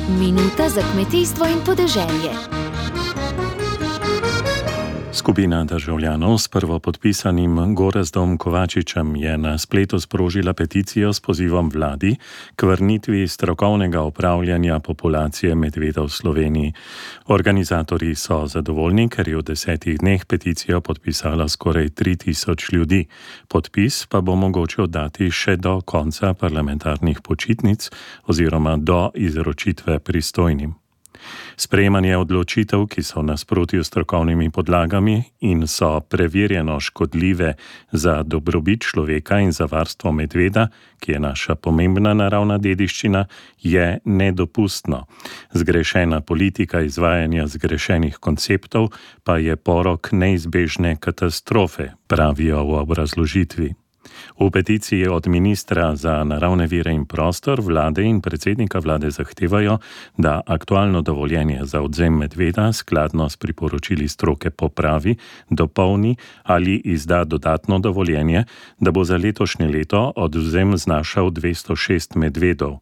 Minuta za kmetijstvo in podeželje. Skupina državljanov s prvopodpisanim Gorazdom Kovačičem je na spletu sprožila peticijo s pozivom vladi k vrnitvi strokovnega upravljanja populacije medveda v Sloveniji. Organizatorji so zadovoljni, ker je v 10 dneh peticijo podpisala skoraj 3000 ljudi. Podpis pa bo mogoče oddati še do konca parlamentarnih počitnic oziroma do izročitve pristojnim. Sprejemanje odločitev, ki so v nasprotju s strokovnimi podlagami in so preverjeno škodljive za dobrobit človeka in za varstvo medveda, ki je naša pomembna naravna dediščina, je nedopustno. Zgrešena politika izvajanja zgrešenih konceptov pa je porok neizbežne katastrofe, pravijo v obrazložitvi. V peticiji od ministra za naravne vire in prostor, vlade in predsednika vlade zahtevajo, da aktualno dovoljenje za odvzem medveda skladno s priporočili stroke popravi, dopolni ali izda dodatno dovoljenje, da bo za letošnje leto odvzem znašal 206 medvedov.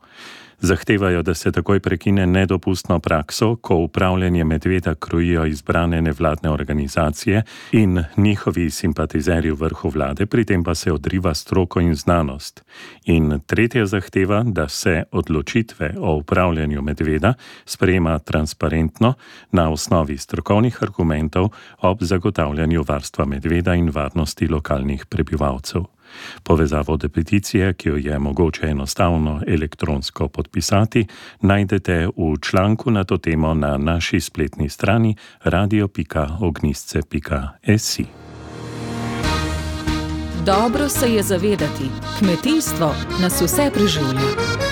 Zahtevajo, da se takoj prekine nedopustno prakso, ko upravljanje medveda krojijo izbrane nevladne organizacije in njihovi simpatizerji v vrhu vlade, pri tem pa se odriva stroko in znanost. In tretja zahteva, da se odločitve o upravljanju medveda sprejema transparentno na osnovi strokovnih argumentov ob zagotavljanju varstva medveda in varnosti lokalnih prebivalcev. Povezavo do peticije, ki jo je mogoče enostavno elektronsko podpisati, najdete v članku na to temo na naši spletni strani radio.ognisce.si. Dobro se je zavedati, kmetijstvo nas vse preživlja.